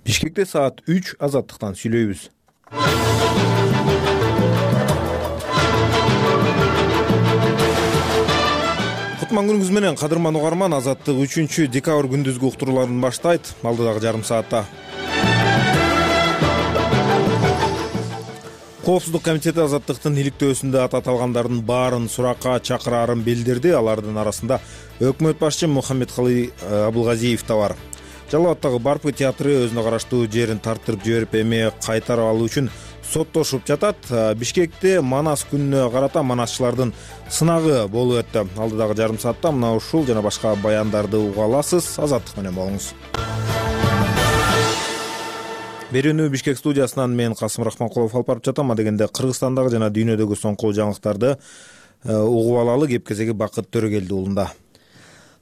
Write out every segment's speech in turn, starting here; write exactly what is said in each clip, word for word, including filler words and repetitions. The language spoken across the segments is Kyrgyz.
Бишкекте саат үч азаттыктан сүйлөйбүз. Кутман күнүңүз менен кадырман угарман, Азаттык үчүнчү декабрь күндүзгү уктурууларын баштайт. Алдыдагы жарым саатта Коопсуздук комитети Азаттыктын иликтөөсүндө аты аталгандардын баарын суракка чакыраарын билдирди. Алардын арасында өкмөт башчы Мухаммедкалый Абылгазиев да бар. Жалал Абадтагы Барпы театры өзүнө караштуу жерин тарттырып жиберип, эми кайтарып алуу үчүн соттошуп жатат. Бишкекте Манас күнүнө карата манасчылардын сынагы болуп өттү. Алдыдагы жарым саатта мына ушул жана башка баяндарды уга аласыз. Азаттык менен болуңуз. Берүүнү Бишкек студиясынан мен Касым Рахманкулов алып барып жатам. Дегенде Кыргызстандагы жана дүйнөдөгү соңку жаңылыктарды угуп алалы. Кеп кезеги Бакыт Төрөгелди уулунда.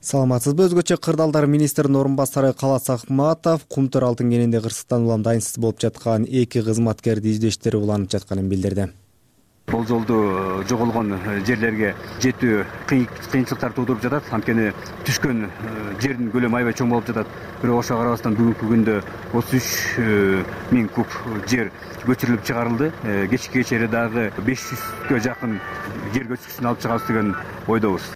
Саламатсызбы? Өзгөчө кырдаалдар министринин орун басары Калас Акматов Кумтөр алтын кенинде Кыргызстан улам дайынсыз болуп жаткан эки кызматкерди издештери уланып жатканын билдирди. Бул жолду жоголгон жерлерге жетүү кыйынчылыктар туудуруп жатат. Анткени түшкөн жердин көлөмү аябай чоң болуп жатат. Бирок ошого карабастан бүгүнкү күндө отуз үч миң куб жер көчүрүлүп чыгарылды. Кечки кечээри дагы беш жүзгө жакын жер көчкүсүн алып чыгабыз деген ойдобуз.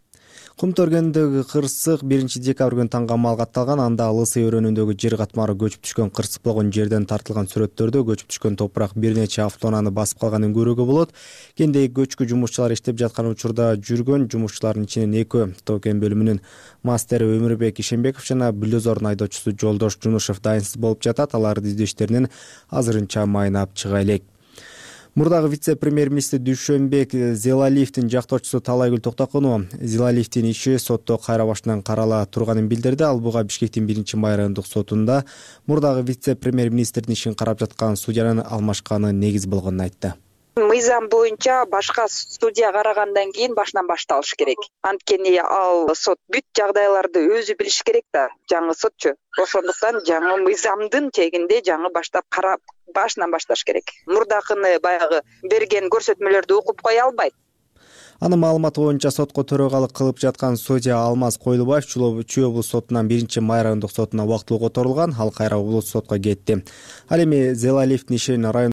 Кумтөр кениндеги кырсык биринчи декабрь күнү таңга амалга атталган. Анда Лысый өрөөнүндөгү жер катмары көчүп түшкөн кырсык болгон жерден тартылган сүрөттөрдө көчүп түшкөн топурак бир нече автоунааны басып калганын көрүүгө болот. Кендеги көчкү жумушчулар иштеп жаткан учурда жүргөн жумушчулардын ичинен экөө Тоо-кен бөлүмүнүн мастери Өмүрбек Ишенбеков жана бульдозордун айдоочусу Жолдош Жунушев дайынсыз болуп жатат. Алардын издештеринен азырынча майнап чыга элек. Мурдагы вице-премьер-министр Дүйшөнбек Зелалиевдин жактоочусу Талайгүл Токтокунова Зелалиевдин иши сотто кайра башынан карала турганын билдирди. Ал буга Бишкектин биринчи май райондук сотунда мурдагы вице-премьер-министрдин ишин карап жаткан судьянын алмашканы негиз болгонун айтты. Мыйзам боюнча башка судья карагандан кийин башынан башталыш керек. Анткени ал сот бүт жагдайларды өзү билиш керек да, жаңы сотчу. Ошондуктан жаңы мыйзамдын тегинде жаңы баштап карап башынан башташ керек. Мурдакыны баягы берген көрсөтмөлөрдү окуп кое албайт. Анын маалыматы боюнча сотко төрөгалык кылып жаткан судья Алмаз Койлубаев Чүй облус сотунан биринчи май райондук сотуна убактылуу которулган. Ал кайра облус сотко кетти. Ал эми Зелалиевдин ишин район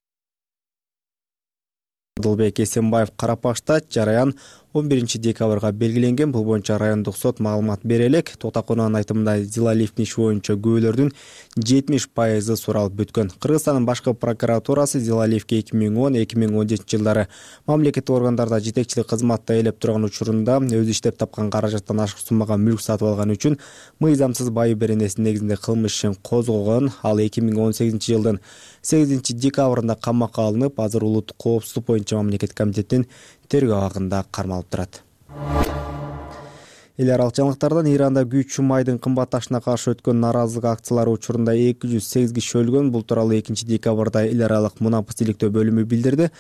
Дылбек Эсенбаев карап баштайт. Жараян он биринчи декабрга белгиленген. Бул боюнча райондук сот маалымат бере элек. Токтокунованын айтымында Зелалиевдин иши боюнча күбөлөрдүн жетимиш пайызы суралып бүткөн. Кыргызстандын башкы прокуратурасы Зелалиевге эки миң он эки миң он жетинчи жылдары мамлекеттик органдарда жетекчилик кызматта ээлеп турган учурунда өзү иштеп тапкан каражаттан ашык суммага мүлк сатып алган үчүн мыйзамсыз байы беренесинин негизинде кылмыш ишин козгогон. Ал эки миң он сегизинчи жылдын сегизинчи декабрында камакка алынып, азыр улуттук коопсуздук боюнча мамлекеттик комитеттин тергөө абагында кармалып турат. Эл аралык жаңылыктардан Иранда күйүүчү майдын кымбатташына каршы өткөн нааразылык акциялары учурунда эки жүз сегиз киши өлгөн. Бул тууралуу экинчи декабрда эл аралык мунапыс иликтөө бөлүмү билдирди.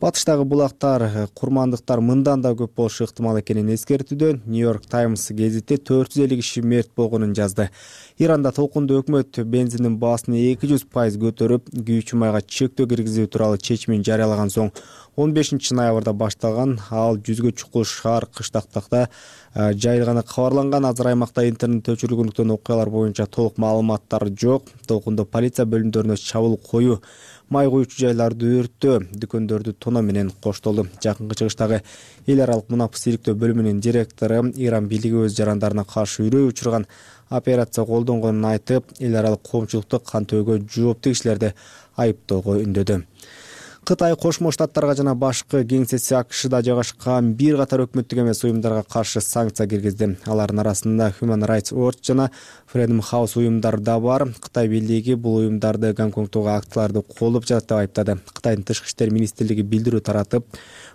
Батыштагы булактар, курмандыктар мындан да көп болушу ыктымал экенин эскертүүдө. Нью-Йорк Таймс гезити төрт жүз элүү киши мерт болгонун жазды. Иранда толкундуу өкмөт бензиндин баасын эки жүз пайыз көтөрүп, күйүүчү майга чектөө киргизүү тууралуу чечимин жарыялаган соң он бешинчи ноябрда башталган. Ал жүзгө чукул шаар кыштактакта жайылганы кабарланган. Азыр аймакта интернет өчүрүлгөндүктөн окуялар боюнча толук маалыматтар жок. Толкундо полиция бөлүмдөрүнө чабуул коюу, май куюучу жайларды өрттөө, дүкөндөрдү тоноо менен коштолду. Жакынкы чыгыштагы эл аралык мунапыс иликтөө бөлүмүнүн директору Иран бийлиги өз жарандарына каршы үрөө учурган операция колдонгонун айтып, эл аралык коомчулукту кантөөгө жооптуу кишилерди айыптоого үндөдү. Кытай Кошмо Штаттарга жана башкы кеңсеси АКШда жайгашкан бир катар өкмөттүк эмес уюмдарга каршы санкция киргизди. Алардын арасында Human Rights Watch жана Freedom House уюмдары да бар. Кытай бийлиги бул уюмдарды Гонконгдогу акцияларды колдоп жатат деп айыптады. Кытайдын тышкы иштер министрлиги билдирүү таратып,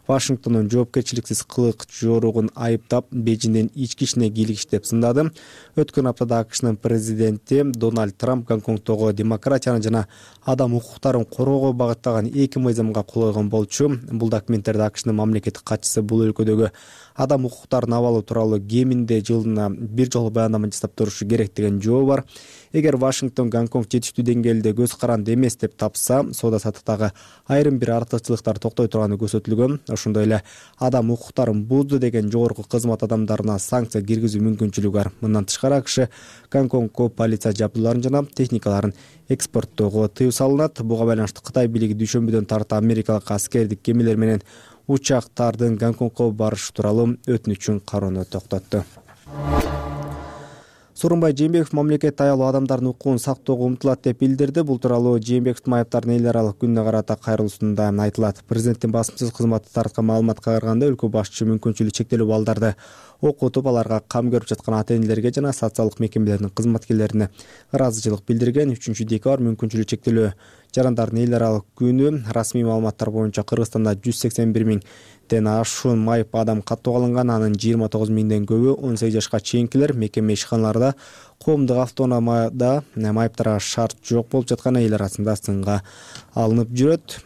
Вашингтондун жоопкерчиликсиз кылык жоругун айыптап, Бейжиңдин ички ишине кийлигиш деп сындады. Өткөн аптада АКШнын президенти Дональд Трамп Гонконгдогу демократияны жана адам укуктарын короого багыттаган эки мыйзамга кол койгон болчу. Бул документтерде АКШнын мамлекеттик катчысы бул өлкөдөгү адам укуктарын абалы тууралуу кеминде жылына бир жолу баяндама жасап турушу керек деген жообу бар. эгер Вашингтон Гонконг жетиштүү деңгээлде көз каранды эмес деп тапса, соода саттыктагы айрым бир артыкчылыктар токтой турганы көрсөтүлгөн. Ошондой эле адам укуктарын бузду деген жогорку кызмат адамдарына санкция киргизүү мүмкүнчүлүгү бар. Мындан тышкары АКШ Гонконгко полиция жабдууларын жана техникаларын экспорттоого тыюу салынат. Буга байланыштуу Кытай бийлиги дүйшөмбүдөн тарта америкалык аскердик кемелер менен учактардын Гонконгко барышы тууралуу өтүнүчүн кароону токтотту. Сооронбай Жээнбеков мамлекет аялуу адамдардын укугун сактоого умтулат деп билдирди. Бул тууралуу Жээнбековдун майыптардын эл аралык күнүнө карата кайрылуусунда айтылат. Президенттин басмасөз кызматы тараткан маалыматка караганда, өлкө башчы мүмкүнчүлүгү чектелүү балдарды окутуп, аларга кам көрүп жаткан ата-энелерге жана социалдык мекемелердин кызматкерлерине ыраазычылык билдирген. үчүнчү декабрь мүмкүнчүлүгү чектелүү жарандардын эл аралык күнү. Расмий маалыматтар боюнча Кыргызстанда жүз сексен бир миңден ашуун майып адам каттоого алынган. Анын жыйырма тогуз миңден көбү он сегиз жашка чейинкилер. Мекеме ишканаларда, коомдук автономияда майыптарга шарт жок болуп жатканы эл арасында сынга алынып жүрөт.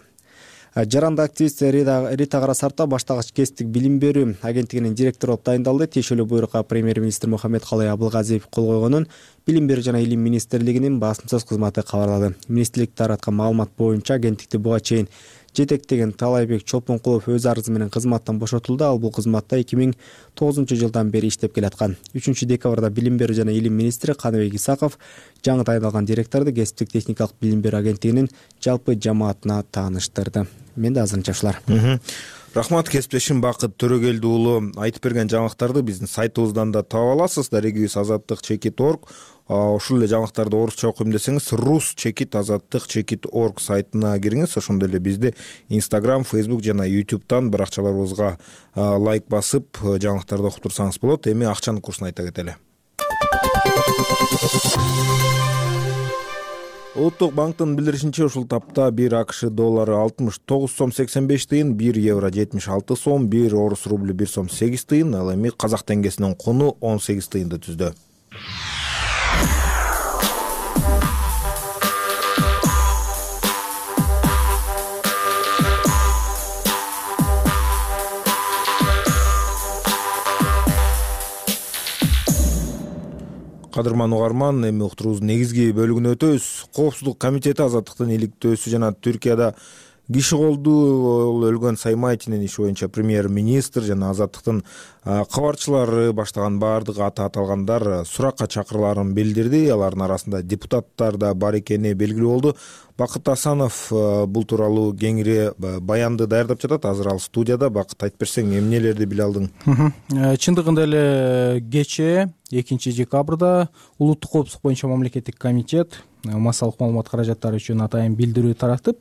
Жаранды активист Рита Карасарта баштагыч кесиптик билим берүү агенттигинин директору болуп дайындалды. Тиешелүү буйрукка премьер-министр Мухаммедкалый Абылгазиев кол койгонун Билим берүү жана илим министрлигинин басмасөз кызматы кабарлады. Министрлик тараткан маалымат боюнча агенттикти буга чейин жетектеген Талайбек Чолпонкулов өз арызы менен кызматтан бошотулду. Ал бул кызматта эки миң тогузунчу жылдан бери иштеп келаткан. үчүнчү декабрда Билим берүү жана илим министри Каныбек Исаков жаңы тайындалган директорду кесиптик техникалык билим берүү агенттигинин жалпы жамаатына тааныштырды. Менде азырынча ушулар. Рахмат, кесиптешим Бакыт Төрөгелди уулу. Айтып берген жаңылыктарды биздин сайтыбыздан да таба аласыз. Дарегибиз азаттык чекит орг. Ошол эле жаңылыктарды орусча окуйм десеңиз рус чекит азаттык чекит орг сайтына кириңиз. Ошондой эле бизди Instagram, Facebook жана YouTube'дан баракчаларыбызга лайк басып жаңылыктарды окуп турсаңыз болот. Эми акчанын курсун айта кетели. Улуттук банктын билдиришинче, ушул тапта бир АКШ доллары алтымыш тогуз сом сексен беш тыйын, бир евро жетимиш алты сом, бир орус рубль бир сом сегиз тыйын, ал эми казак теңгесинин куну он сегиз тыйынды түздү. Кадырман угарман, эми уктуруубуздун негизги бөлүгүнө өтөбүз. Коопсуздук комитети азаттыктын иликтөөсү жана Түркияда киши колду өлгөн Саймайтинин иши боюнча премьер-министр жана азаттыктын кабарчылары баштаган баардык аты аталгандар суракка чакырыларын билдирди. Алардын арасында депутаттар да бар экени белгилүү болду. Бакыт Асанов бул тууралуу кеңири баянды даярдап жатат. Азыр ал студияда. Бакыт, айтып берсең, эмнелерди биле алдың? Чындыгында эле кечээ экинчи декабрда улуттук коопсуздук боюнча мамлекеттик комитет массалык маалымат каражаттары үчүн атайын билдирүү таратып,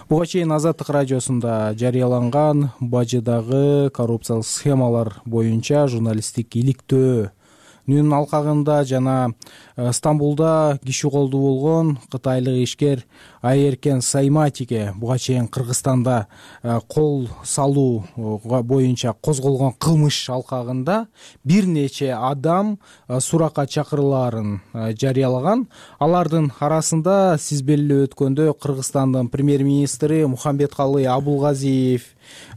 буга чейин Азаттык радиосунда жарыяланган бажыдагы коррупциялык схемалар боюнча журналисттик иликтөөнүн алкагында жана Стамбулда киши колду болгон кытайлык ишкер Айеркен Сайматиге буга чейин Кыргызстанда кол салуу боюнча козголгон кылмыш алкагында бир нече адам суракка чакырылаарын жарыялаган. Алардын арасында сиз белгилеп өткөндөй Кыргызстандын премьер-министри Мухаммедкалый Абылгазиев,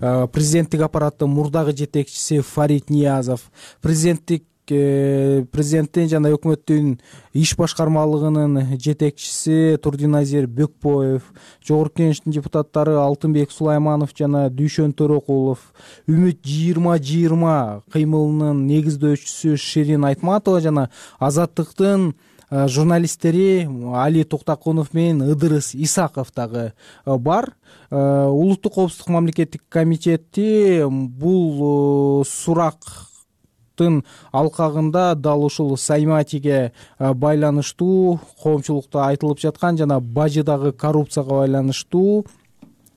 президенттик аппараттын мурдагы жетекчиси Фарид Ниязов, президенттик президенттин жана өкмөттүн иш башкармалыгынын жетекчиси Турдиназир Бөкпоев, жогорку кеңештин депутаттары Алтынбек Сулайманов жана Дүйшөн Төрөкулов, Үмүт жыйырма жыйырма кыймылынын негиздөөчүсү Ширин Айтматова жана Азаттыктын журналисттери Али Токтакунов менен Ыдырыс Исаков дагы бар. Улуттук коопсуздук мамлекеттик комитети бул сурак алкагында дал ушул Сайматиге байланыштуу коомчулукта айтылып жаткан жана бажыдагы коррупцияга байланыштуу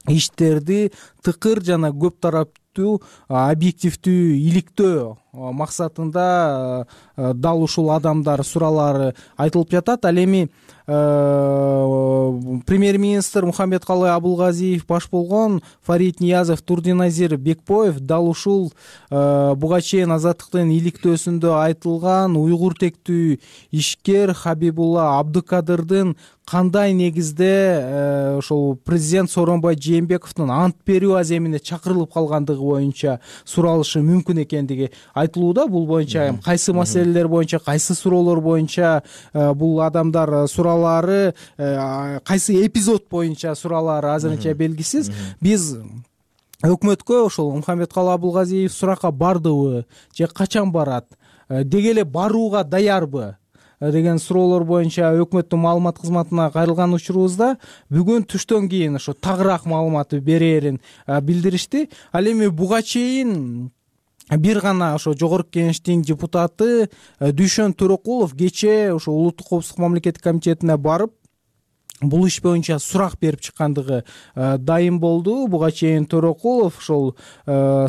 иштерди тыкыр жана көп тараптуу объективдүү иликтөө максатында дал ушул адамдар сураалары айтылып жатат. Ал эми премьер-министр Мухаммедкалый Абылгазиев баш болгон Фарид Ниязов, Турдиназир Бекбоев дал ушул буга чейин Азаттыктын иликтөөсүндө айтылган уйгур тектүү ишкер Хабибулла Абдыкадырдын кандай негизде ошол президент Сооронбай Жээнбековдун ант берүү аземине чакырылып калгандыгы боюнча суралышы мүмкүн экендиги айтылууда. Бул боюнча кайсы маселелер боюнча, кайсы суроолор боюнча бул адамдар суроолору, кайсы эпизод боюнча суроолору азырынча белгисиз. Биз өкмөткө ошол Мухаммедкалый Абылгазиев суракка бардыбы же качан барат, деги эле барууга даярбы деген суроолор боюнча өкмөттүн маалымат кызматына кайрылган учурубузда бүгүн түштөн кийин ошо тагыраак маалымат берээрин билдиришти. Ал эми буга чейин бир гана ошо жогорку кеңештин депутаты Дүйшөн Төрөкулов кечээ ошо Улуттук коопсуздук мамлекеттик комитетине барып бул иш боюнча сурак берип чыккандыгы дайым болду. Буга чейин Төрөкулов ошол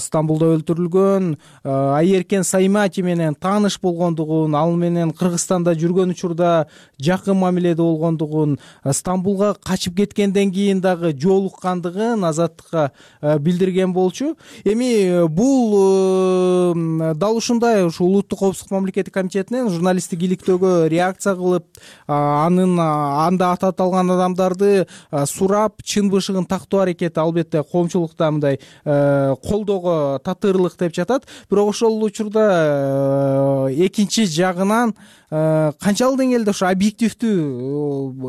Стамбулда өлтүрүлгөн Айеркен Саймати менен тааныш болгондугун, ал менен Кыргызстанда жүргөн учурда жакын мамиледе болгондугун, Стамбулга качып кеткенден кийин дагы жолуккандыгын Азаттыкка билдирген болчу. Эми бул дал ушундай ушу Улуттук коопсуздук мамлекеттик комитетинен журналисттик иликтөөгө реакция кылып, анын анда ататалган адамдарды сурап чын бышыгын тактоо аракети албетте коомчулукта мындай колдоого татырлык деп жатат. Бирок ошол учурда экинчи жагынан канчалык деңгээлде ошо объективдүү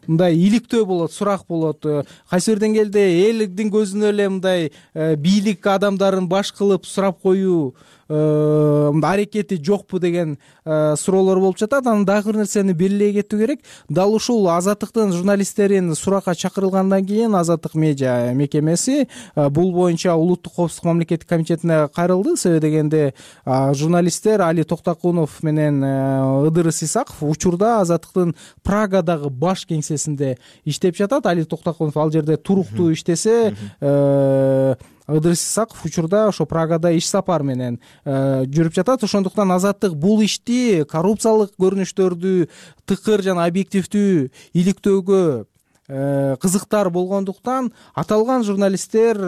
мындай иликтөө болот, сурак болот, кайсы бир деңгээлде элдин көзүнө эле мындай бийлик адамдарын баш кылып сурап коюу аракети жокпу деген суроолор болуп жатат. Анан дагы бир нерсени белгилей кетүү керек. Дал ушул Азаттыктын журналисттерин суракка чакырылгандан кийин Азаттык медиа мекемеси бул боюнча Улуттук коопсуздук мамлекеттик комитетине кайрылды. Себеби дегенде журналисттер Али Токтокунов менен Ыдырыс Исаков учурда Азаттыктын Прагадагы баш кеңсесинде иштеп жатат. Али Токтокунов ал жерде туруктуу иштесе, Ыдырыс Исаков учурда ошо Прагада иш сапар менен жүрүп жатат. Ошондуктан Азаттык бул ишти коррупциялык көрүнүштөрдү тыкыр жана объективдүү иликтөөгө кызыктар болгондуктан аталган журналисттер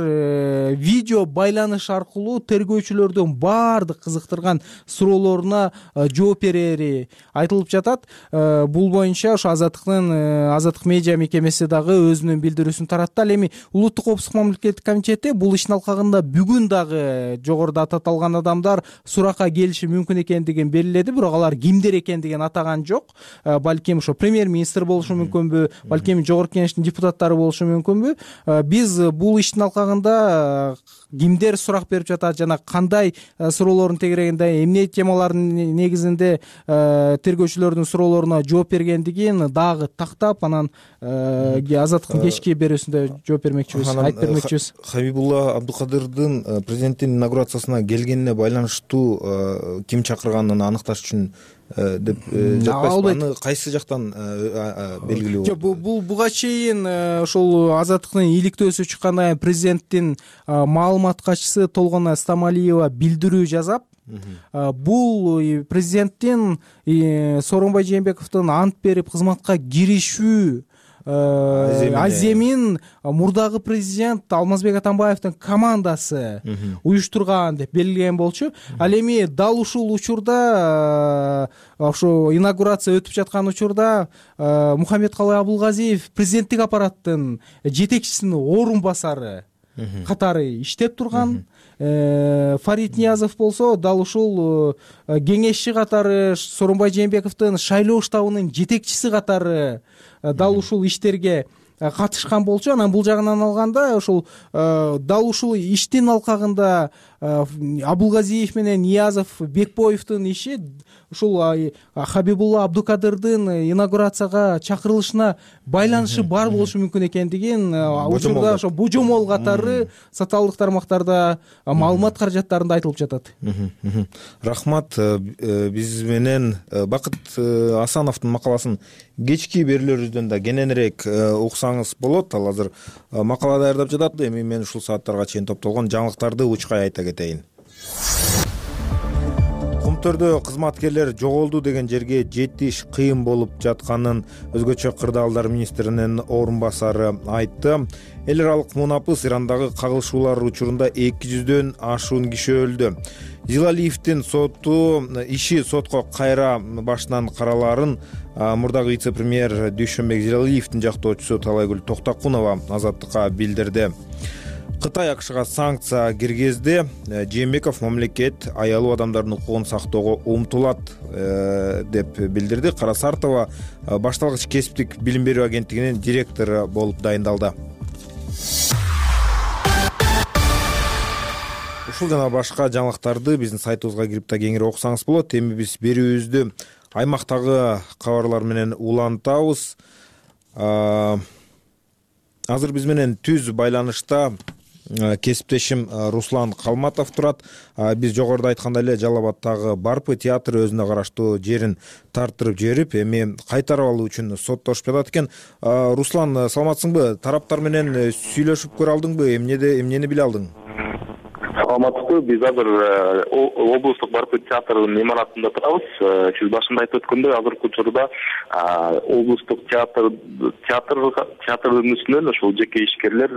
видео байланыш аркылуу тергөөчүлөрдүн баардык кызыктырган суроолоруна жооп берери айтылып жатат. Бул боюнча ошо Азаттыктын Азаттык медиа мекемеси дагы өзүнүн билдирүүсүн таратты. Ал эми Улуттук коопсуздук мамлекеттик комитети бул иштин алкагында бүгүн дагы жогоруда ататалган адамдар суракка келиши мүмкүн экендигин белгиледи. Бирок алар кимдер экендигин атаган жок. Балким ошо премьер-министр болушу мүмкүнбү, балким жогорку кеңештин депутаттары болушу мүмкүнбү? Биз бул иштин алкагында кимдер сурак берип жатат жана кандай суроолордун тегерегинде, эмне темалардын негизинде тергөөчүлөрдүн суроолоруна жооп бергендигин дагы тактап, анан Азаттыктын кечки берүүсүндө жооп бермекчибиз, айтып бермекчибиз. Хабибулла Абдыкадырдын президенттин инаугурациясына келгенине байланыштуу ким чакырганын аныкташ үчүн деп жатпайсызбы? Аны кайсы жактан белгилүү болот? Жок, бул буга чейин ошол Азаттыктын иликтөөсү чыккандан кийин президенттин маалымат катчысы Толгон Стамалиева билдирүү жасап, бул президенттин Сооронбай Жээнбековдун ант берип кызматка киришүү аземин мурдагы президент Алмазбек Атамбаевдин командасы уюштурган деп белгилеген болчу. Ал эми дал ушул учурда ошо инаугурация өтүп жаткан учурда Мухаммедкалый Абылгазиев президенттик аппараттын жетекчисинин орун басары катары иштеп турган. Фарид Ниязов болсо дал ушул кеңешчи катары, Сооронбай Жээнбековдун шайлоо штабынын жетекчиси катары дал ушул иштерге катышкан болчу. Анан бул жагынан алганда ошол дал ушул иштин алкагында Абылгазиев менен Ниязов, Бекбоевдун иши ушул Хабибулла Абдыкадырдын инаугурацияга чакырылышына байланышы бар болушу мүмкүн экендигин учурда ошо божомол катары социалдык тармактарда маалымат каражаттарында айтылып жатат. Рахмат. Биз менен Бакыт Асановдун макаласын кечки берүүлөрүбүздөн да кененирээк уксаңыз болот. Ал азыр макала даярдап жатат. Эми мен ушул сааттарга чейин топтолгон жаңылыктарды учкай айта кетейин. өңүрлөрдө кызматкерлер жоголду деген жерге жетиш кыйын болуп жатканын өзгөчө кырдаалдар министринин орун басары айтты. Эл аралык мунапыс Ирандагы кагылышуулар учурунда эки жүздөн ашуун киши өлдү. Зилалиевдин соту иши сотко кайра башынан каралаарын мурдагы вице-премьер Дүйшөнбек Зилалиевдин жактоочусу Талайгүл Токтокунова Азаттыкка билдирди. Кытай АКШга санкция киргизди. Жээнбеков мамлекет аялуу адамдардын укугун сактоого умтулат деп билдирди. Кара Сартова башталгыч кесиптик билим берүү агенттигинин директору болуп дайындалды. Ушул жана башка жаңылыктарды биздин сайтыбызга кирип да кеңири окусаңыз болот. Эми биз берүүбүздү аймактагы кабарлар менен улантабыз. Азыр биз менен түз байланышта кесиптешим Руслан Калматов турат. Биз жогоруда айткандай эле Жалал Абадтагы Барпы театры өзүнө караштуу жерин тартырып жиберип, эми кайтарып алуу үчүн соттошуп жатат экен. Руслан, саламатсыңбы? Тараптар менен сүйлөшүп көрө алдыңбы? Эмнеде эмнени биле алдың? Саламатсызбы. Биз азыр облустук Барпы театрынын имаратында турабыз. Сиз башында айтып өткөндөй, азыркы учурда облустук театр театрдын үстүнөн ошол жеке ишкерлер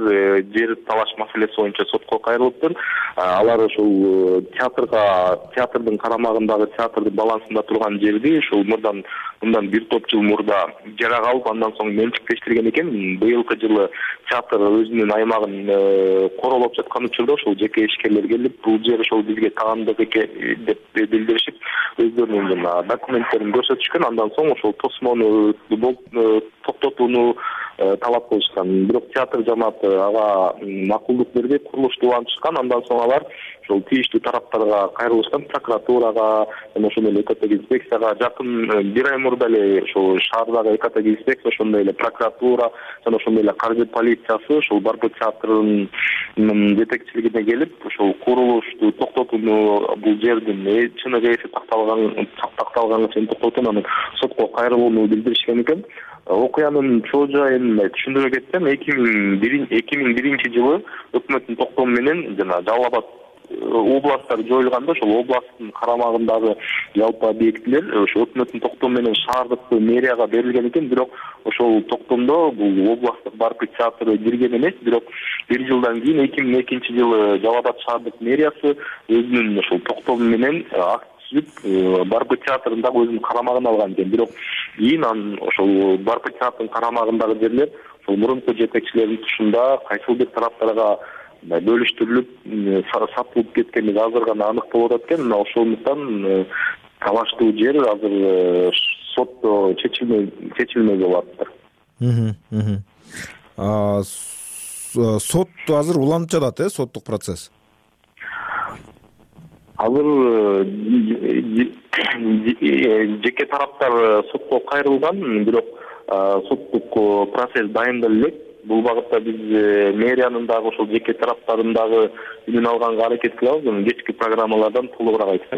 жер талаш маселеси боюнча сотко кайрылыптыр. Алар ошол театрга театрдын карамагындагы театрдын балансында турган жерди ошол мурдан мындан бир топ жыл мурда жарак алып, андан соң менчиктештирген экен. Быйылкы жылы театр өзүнүн аймагын королоп жаткан учурда ошол жеке ишкерлер келип, бул жер ошол бизге таандык экен деп билдиришип, өздөрүнүн документтерин көрсөтүшкөн. Андан соң ошол тосмону токтотууну талап кылышкан. Бирок театр жамааты ага макулдук берди, курулушту улантышкан. Андан соң алар ошол тийиштүү тараптарга кайрылышкан, прокуратурага жана ошондой эле экотек инспекцияга. Жакын бир ай мурда эле ошол шаардагы экотек инспекция, ошондой эле прокуратура жана ошондой эле каржы полициясы ошол Барпы театрынын жетекчилигине келип, ошол курулушту токтотууну, бул жердин чыныгы эси такталган такталганга чейин токтотууну, анан сотко кайрылууну билдиришкен экен. Окуянын чоо жайын түшүндүрө кетсем, эки миң биринчи жылы өкмөттүн токтому менен жана Жалал Абад областтар жоюлганда, ошол областтын карамагындагы жалпы объектилер ошо өкмөттүн токтому менен шаардык мэрияга берилген экен. Бирок ошол токтомдо бул областтык Барпы театры кирген эмес. Бирок бир жылдан кийин эки миң экинчи жылы Жалал Абад шаардык мэриясы өзүнүн ошол токтому менен Барпы театрын дагы өзүнүн карамагына алган экен. Бирок кийин анын ошол Барпы театрынын карамагындагы жерлер ошол мурунку жетекчилердин тушунда кайсыл бир тараптарга бөлүштүрүлүп сатылып кеткени азыр гана анык болуп атат экен. Мына ошондуктан талаштуу жер азыр сотто чечилмей чечилмей болуп атат. Сот азыр уланып жатат, э, соттук процесс. Азыр жеке тараптар сотко кайрылган, бирок соттук процесс дайындалып элек. Бул багытта биз мэриянын дагы ошол жеке тараптарын дагы үнүн алганга аракет кылабыз. Кечки программалардан толугураак айтып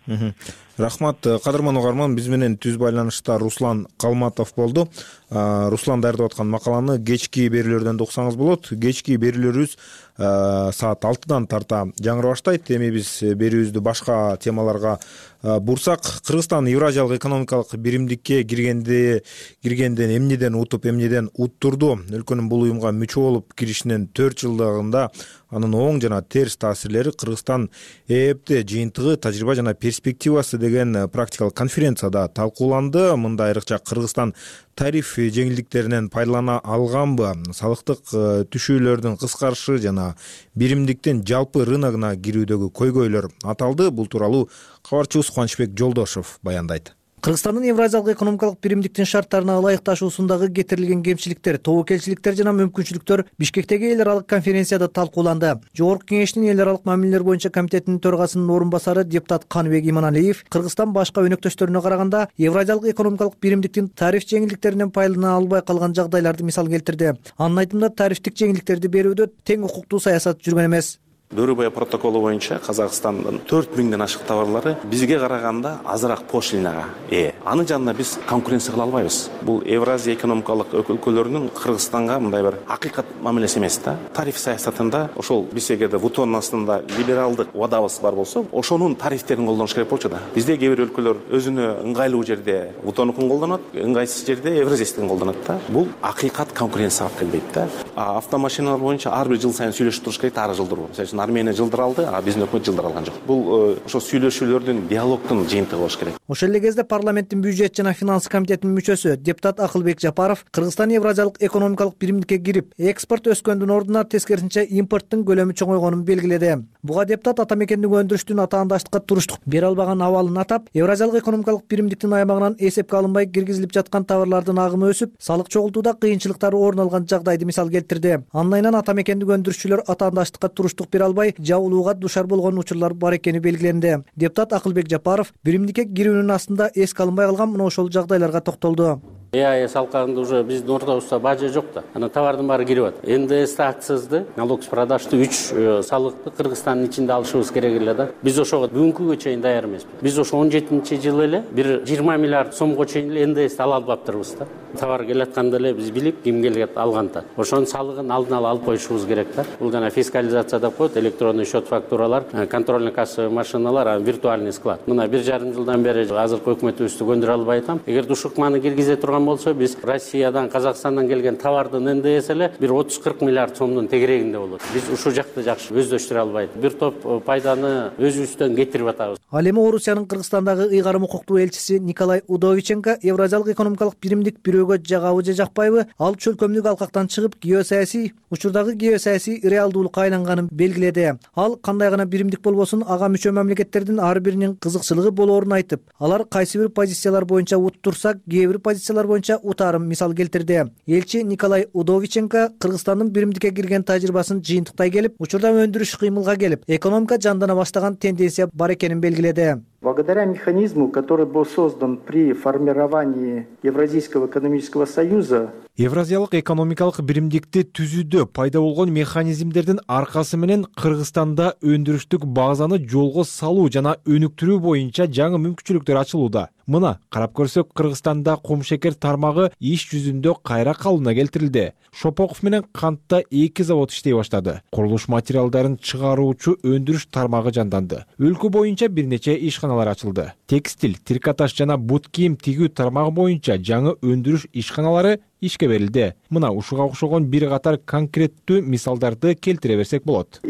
берем. Рахмат. Кадырман угарман, биз менен түз байланышта Руслан Калматов болду. Руслан даярдап аткан макаланы кечки берүүлөрдөн да уксаңыз болот. Кечки берүүлөрүбүз саат алтыдан тарта жаңырып баштайт. Эми биз берүүбүздү башка темаларга бурсак, Кыргызстан Евразиялык экономикалык биримдикке киргенде киргенден эмнеден утуп, эмнеден уттурду? Өлкөнүн бул уюмга мүчө болуп киришинин төрт жылдыгында анын оң жана терс таасирлери Кыргызстан ЭЭПте жыйынтыгы, тажрыйба жана перспективасы деген практикалык конференцияда талкууланды. Мында айрыкча Кыргызстан тариф жеңилдиктеринен пайдалана алганбы, салыктык түшүүлөрдүн кыскарышы жана биримдиктин жалпы рыногуна кирүүдөгү көйгөйлөр аталды. Бул тууралуу кабарчыбыз Кубанычбек Жолдошов баяндайт. Кыргызстандын Евразиялык экономикалык биримдиктин шарттарына ылайыкташуусундагы кетирилген кемчиликтер, тобокелчиликтер жана мүмкүнчүлүктөр Бишкектеги эл аралык конференцияда талкууланды. Жогорку кеңештин эл аралык мамилелер боюнча комитетинин төрагасынын орун басары депутат Каныбек Иманалиев Кыргызстан башка өнөктөштөрүнө караганда Евразиялык экономикалык биримдиктин тариф жеңилдиктеринен пайдалана албай калган жагдайларды мисал келтирди. Анын айтымында тарифтик жеңилдиктерди берүүдө тең укуктуу саясат жүргөн эмес. Бөрүбай протоколу боюнча Казакстандын төрт миңден ашык товарлары бизге караганда азыраак пошлинага ээ. Аны жанында биз конкуренция кыла албайбыз. Бул Евразия экономикалык өлкөлөрүнүн Кыргызстанга мындай бир акыйкат мамилеси эмес да. Тариф саясатында ошол биз эгерде вутонун астында либералдык убадабыз бар болсо, ошонун тарифтерин колдонуш керек болчу да. Бизде кээ бир өлкөлөр өзүнө ыңгайлуу жерде вутонукун колдонот, ыңгайсыз жерде евразиясын колдонот да. Бул акыйкат конкуренцияга алып келбейт да. А автомашиналар боюнча ар бир жыл сайын сүйлөшүп туруш керек, ары жылдыруу. Мисалы Армения жылдыр алды, а биздин өкмөт жылдыр алган жок. Бул ошо сүйлөшүүлөрдүн, диалогдун жыйынтыгы болуш керек. Ошол эле кезде парламенттин бюджет жана финанс комитетинин мүчөсү депутат Акылбек Жапаров Кыргызстан Евразиялык экономикалык биримдикке кирип, экспорт өскөндүн ордуна тескерисинче импорттун көлөмү чоңойгонун белгиледи. Буга депутат ата мекендик өндүрүштүн атаандаштыкка туруштук бере албаган абалын атап, Евразиялык экономикалык биримдиктин аймагынан эсепке алынбай киргизилип жаткан товарлардын агымы өсүп, салык чогултууда кыйынчылыктар орун алган жагдайды мисал келтирди. Андан кийин ата мекендик өндүрүшчүлөр атаандаштыкка туруштук бере албай, жабылууга душар болгон учурлар бар экени белгиленди. Депутат Акылбек Жапаров биримдикке кирүүнүн астында эске алынбай калган мына ошол жагдайларга токтолду. ЭАЭС алкагында уже биздин ордобузда бажа жок да. Анан товардын баары кирип атат. эн дэ эсти, акцизди, налог с продажды үч салыкты Кыргызстандын ичинде алышыбыз керек эле да. Биз ошого бүгүнкүгө чейин даяр эмеспиз. Биз ошо он жетинчи жылы эле бир жыйырма миллиард сомго чейин эле эн дэ эсти ала албаптырбыз да. Товар келатканда эле биз билип, ким келет алганда. Ошонун салыгын алдын ала алып коюшубуз керек да. Бул жана фискализация деп коет, электронный счет фактуралар, контрольный кассовый машиналар, виртуальный склад. Мына бир жарым жылдан бери азыркы өкмөтүбүздү көндүрө албай атам. Эгер ушукманы киргизе турган болсо, биз Россиядан, Казакстандан келген товардын эн дэ эси эле бир отуз кырк миллиард сомдун тегерегинде болот. Биз ушул жакты жакшы өздөштүрө албайт. Бир топ пайданы өзүбүздөн кетирип атабыз. Ал эми Орусиянын Кыргызстандагы ыйгарым укуктуу элчиси Николай Удовиченко Евразиялык экономикалык биримдик бирөөгө жагабы же жакпайбы, ал чөлкөмдүк алкактан чыгып, геосаясий учурдагы геосаясий реалдуулукка айланганын белгиледи. Ал кандай гана биримдик болбосун, ага мүчө мамлекеттердин ар биринин кызыкчылыгы болоорун айтып, алар кайсы бир позициялар боюнча уттурса, кээ бир позициялар боюнча утарын мисал келтирди. Элчи Николай Удовиченко Кыргызстандын биримдикке кирген тажрыйбасын жыйынтыктай келип, учурда өндүрүш кыймылга келип, экономика жандана баштаган тенденция бар экенин белгиледи. Благодаря механизму, который был создан при формировании Евразийского экономического союза, Евразиялык экономикалык биримдикти түзүүдө пайда болгон механизмдердин аркасы менен Кыргызстанда өндүрүштүк базаны жолго салуу жана өнүктүрүү боюнча жаңы мүмкүнчүлүктөр ачылууда. Мына карап көрсөк, Кыргызстанда кумшекер тармагы иш жүзүндө кайра калыбына келтирилди. Шопоков менен кантта эки завод иштей баштады. Курулуш материалдарын чыгаруучу өндүрүш тармагы жанданды. Өлкө боюнча бир нече ишканалар ачылды. Текстиль, трикотаж жана бут кийим тигүү тармагы боюнча жаңы өндүрүш ишканалары ишке берилди. Мына ушуга окшогон бир катар конкреттүү мисалдарды келтире берсек болот.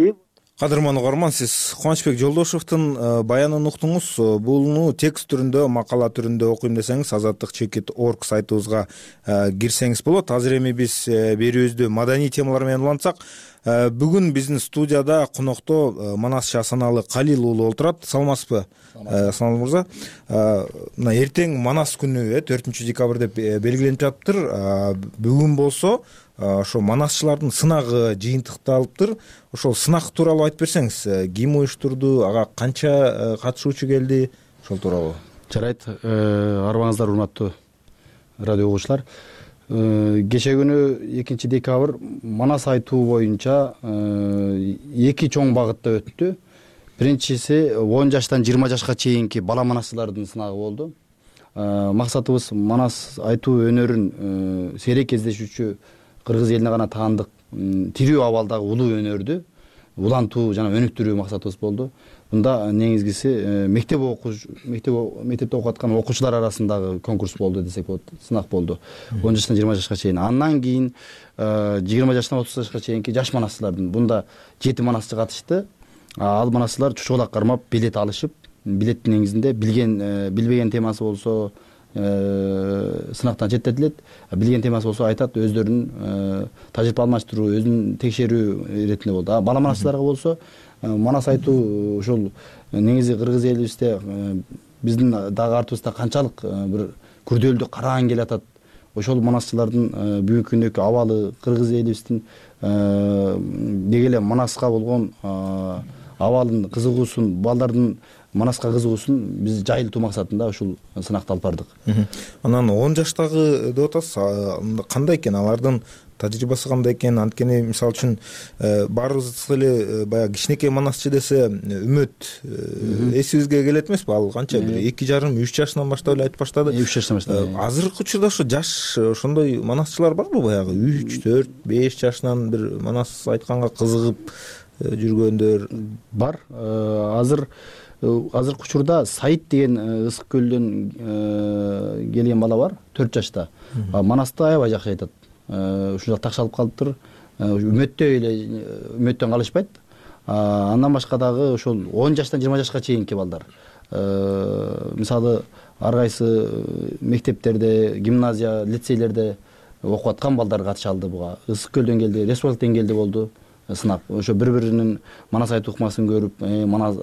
Кадырман угарман, сиз Кубанычбек Жолдошевдун баянын уктуңуз. Буну текст түрүндө, макала түрүндө окуйм десеңиз, азаттык чекит точка орг сайтыбызга кирсеңиз болот. Азыр эми биз берүүбүздү маданий темалар менен улантсак, бүгүн биздин студияда конокто Манас Шасаналы Калил уулу отурат. Саламатсызбы, Санал мырза? Мына эртең Манас күнү, төртүнчү декабрь деп белгиленип жатыптыр. Бүгүн болсо ошо манасчылардын сынагы жыйынтыкталыптыр. Ошол сынак тууралуу айтып берсеңиз, ким уюштурду, ага канча катышуучу келди, ошол тууралуу. Жарайт, арыбаңыздар урматтуу радио угуучулар. Кече күнү экинчи декабрь Манас айтуу боюнча эки чоң багытта өттү. Биринчиси он жаштан жыйырма жашка чейинки бала манасчылардын сынагы болду. Максатыбыз Манас айтуу өнөрүн сейрек кездешүүчү кыргыз элине гана таандык тирүү абалдагы улуу өнөрдү улантуу жана өнүктүрүү максатыбыз болду. Мында негизгиси мектеп окуш мектеп мектепте окуп аткан окуучулар арасындагы конкурс болду десек болот, сынак болду. он жаштан жыйырма жашка чейин. Андан кийин жыйырма жаштан отуз жашка чейинки жаш манасчылардын бунда жети манасчы катышты. Ал манасчылар чучулак кармап билет алышып, билеттин негизинде билген билбеген темасы болсо сынактан четтетилет, билген темасы болсо айтат, өздөрүнүн тажрыйба алмаштыруу, өзүн текшерүү иретинде болду. А бала манасчыларга болсо Манас айтуу ошол негизи кыргыз элибизде биздин дагы артыбызда канчалык бир күрдөөлдүү караан келатат. Ошол манасчылардын бүгүнкү күндөгү абалы, кыргыз элибиздин деги эле Манаска болгон абалын, кызыгуусун, балдардын Манаска кызыгуусун биз жайылтуу максатында ушул сынакты алып бардык. Анан он жаштагы деп атасыз, кандай экен алардын тажрыйбасы кандай экен? Анткени мисалы үчүн баарыбыз эле баягы кичинекей манасчы десе үмөт эсибизге келет эмеспи? Ал канча бир эки жарым үч жашынан баштап эле айтып баштады. үч жаштан баштап. Азыркы учурда ошо жаш ошондой манасчылар барбы? Баягы үч төрт беш жашынан бир манас айтканга кызыгып жүргөндөр бар. Азыр азыркы учурда Саид деген Ысык көлдөн келген бала бар, төрт жашта. Манасты аябай жакшы айтат. Ушунчалык такшалып калыптыр. Үмөттө эле үмөттөн калышпайт. Андан башка дагы ошол он жаштан жыйырма жашка чейинки балдар. Мисалы ар кайсы мектептерде, гимназия, лицейлерде окуп аткан балдар катыша алды буга. Ысык көлдөн келди, республика деңгээлде болду сынак. Ошо бири-биринин манас айтуу ыкмасын көрүп, манас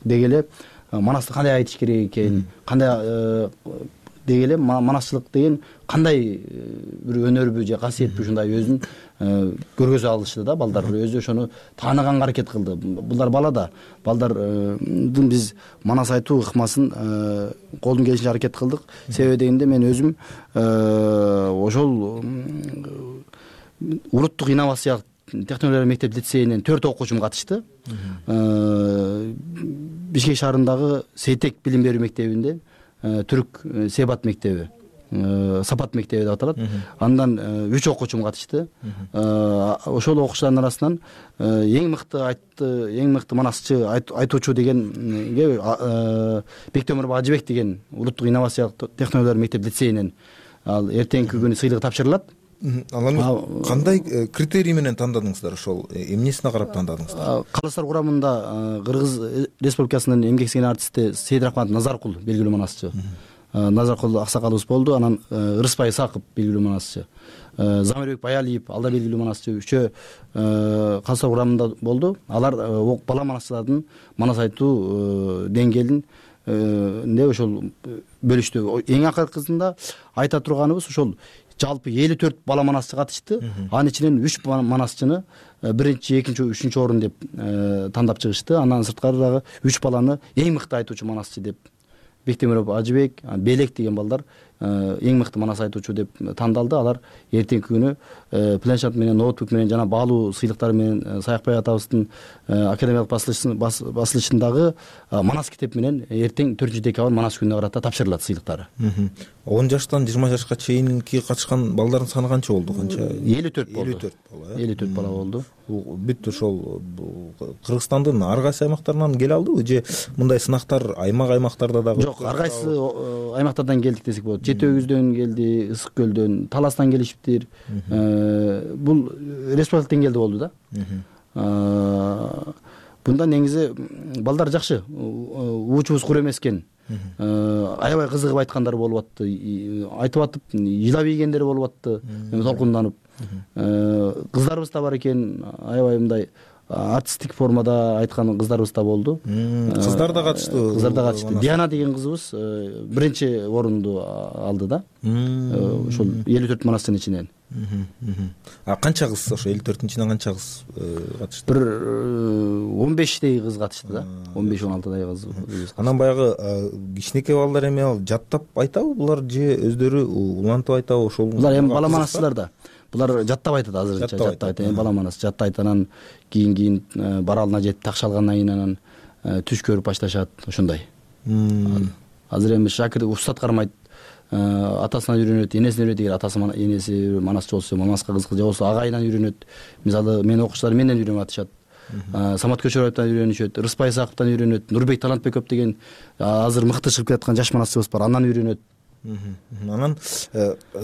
дегеле манасты кандай айтыш керек экен, кандай дегеле манасчылык деген кандай бир өнөрбү же касиетпи ушундай өзүн көргөзө алышты да балдар. Өзү ошону тааныганга аракет кылды. Булар бала да. Балдардын биз манас айтуу ыкмасын колдон келишинче аракет кылдык. Себеби дегенде мен өзүм ошол улуттук инновациялык технологиялар мектеп лицейинен төрт окуучум катышты. Бишкек шаарындагы Сейтек билим берүү мектебинде түрк Себат мектеби, Сапат мектеби деп аталат. Андан үч окуучум катышты. Ошол окуучулардын арасынан эң мыкты айтты, эң мыкты манасчы айтуучу дегенге Бектемиров Ажыбек деген улуттук инновациялык технологиялар мектеп лицейинен ал эртеңки күнү сыйлыгы тапшырылат. Ал кандай критерий менен тандадыңыздар? Ошол эмнесине карап тандадыңыздар? Калыстар курамында Кыргыз Республикасынын эмгек сиңген артисти Сейдрахмат Назаркул белгилүү манасчы. Назаркул аксакалыбыз болду. Анан Рыспай Исаков белгилүү манасчы. Замирбек Баялиев ал да белгилүү манасчы. Үчөө калыстар курамында болду. Алар бала манасчылардын манас айтуу деңгээлин нде ошол бөлүштү. Эң акыркысында айта турганыбыз ошол жалпы элүү төрт бала манасчы катышты. Анын ичинен үч манасчыны биринчи, экинчи, үчүнчү орун деп тандап чыгышты. Андан сырткары дагы үч баланы эң мыкты айтуучу манасчы деп Бектемиров Ажыбек, Белек деген балдар эң мыкты манас айтуучу деп тандалды. Алар эртеңки күнү планшет менен, ноутбук менен жана баалуу сыйлыктар менен Саякбай атабыздын академиялык басылышындагы манас китеп менен эртең төртүнчү декабрь манас күнүнө карата тапшырылат сыйлыктары. он жаштан жыйырма жашка чейинки катышкан балдардын саны канча болду? Канча? элүү төрт болду. элүү төрт бала. элүү төрт бала болду. Бүт ошол Кыргызстандын ар кайсы аймактарынан келе алдыбы же мындай сынактар аймак аймактарда дагы? Жок, ар кайсы аймактардан келдик десек болот. Жети өгүздөн келди, Ысык көлдөн, Таластан келишиптир. Бул республика деңгээлде болду да. Бунда негизи балдар жакшы, уучубуз кур эмес экен. Аябай кызыгып айткандар болуп атты. Айтып атып, жылап ийгендер болуп атты, толкунданып. Кыздарыбыз да бар экен, аябай мындай артисттик формада айткан кыздарыбыз да болду. Кыздар да катышты. Кыздар да катышты. Диана деген кызыбыз биринчи орунду алды да. Ошол элүү төрт манастын ичинен. А канча кыз ошо элүү төрттүн ичинен канча кыз катышты? Бир он бештей кыз катышты да. он беш он алтыдай кыз. Анан баягы кичинекей балдар эми ал жаттап айтабы булар же өздөрү улантып айтабы? Ошол булар эми бала манасчылар да. Булар жаттап айтат азырынча, жаттап айтат. Эми бала манас жаттайт, анан кийин кийин баралына жетип такшалгандан кийин анан түш көрүп башташат, ошондой. Азыр эми шакирт устат кармайт. Атасынан үйрөнөт, энесинен үйрөнөт. Эгер атасы энеси манасчы болсо, мамаска кызык же болсо агайынан үйрөнөт. Мисалы мен окуучулар менден үйрөнүп атышат. Самат Көчөрбаевтан үйрөнүшөт, Рыспай Исаковтан үйрөнөт, Нурбек Талантбеков деген азыр мыкты чыгып келаткан жаш манасчыбыз бар, андан үйрөнөт. Анан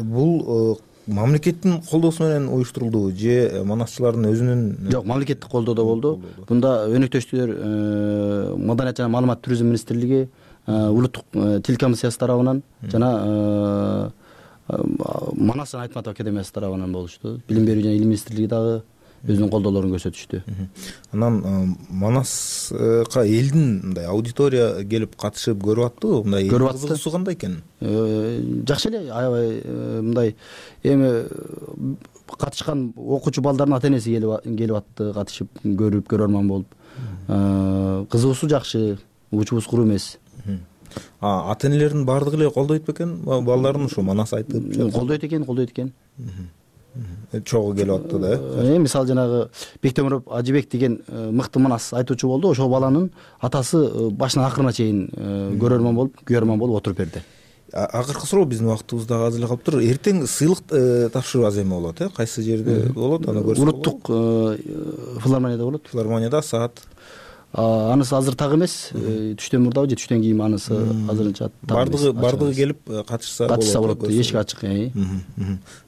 бул мамлекеттин колдоосу менен уюштурулдубу же манасчылардын өзүнүн? Жок, мамлекеттик колдоодо болду. Бунда өнөктөштүлөр Маданият жана маалымат туризм министрлиги, улуттук тил комиссиясы тарабынан жана Манас жана Айтматов академиясы тарабынан болушту. Билим берүү жана илим министрлиги дагы өзүнүн колдоолорун көрсөтүштү. Анан Манаска элдин мындай аудитория келип катышып көрүп аттыбы? Мындай кызыгуусу кандай экен? Жакшы эле, аябай мындай эми катышкан окуучу балдардын ата энеси келип атты, катышып көрүп, көрөрман болуп. Кызыгуусу жакшы, уучубуз кур эмес. Ата энелердин баардыгы эле колдойт бекен балдарын ошо манас айтып? Колдойт экен, колдойт экен. чогуу келип атты да э мисалы жанагы Бектемиров Ажыбек деген мыкты манас айтуучу болду. Ошол баланын атасы башынан акырына чейин көрөрмөн болуп, күйөрмөн болуп отуруп берди. Акыркы суроо биздин убактыбыз дагы аз эле калыптыр. Эртең сыйлык тапшыруу аз эме болот э кайсы жерде болот, аны көрсөк. Улуттук филармонияда болот. Филармонияда саат анысы азыр так эмес, түштөн мурдабы же түштөн кийин анысы азырынча бардыгы бардыгы келип катышса болот. Катышса болот, эшик ачык.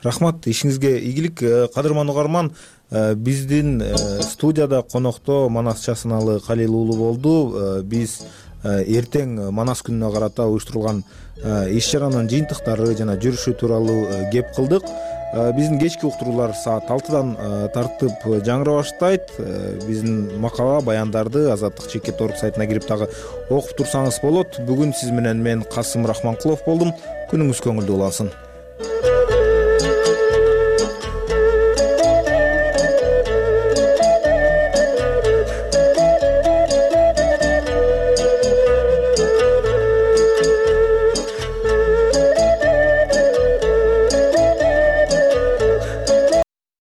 Рахмат, ишиңизге ийгилик. Кадырман угарман, биздин студияда конокто Манас Часыналы Калил уулу болду. Биз эртең Манас күнүнө карата уюштурулган иш чаранын жыйынтыктары жана жүрүшү тууралуу кеп кылдык. Биздин кечки уктуруулар саат алтыдан тартып жаңыра баштайт. Биздин макала, баяндарды Азаттык чекит орг сайтына кирип дагы окуп турсаңыз болот. Бүгүн сиз менен мен Касым Рахманкулов болдум. Күнүңүз көңүлдүү улансын.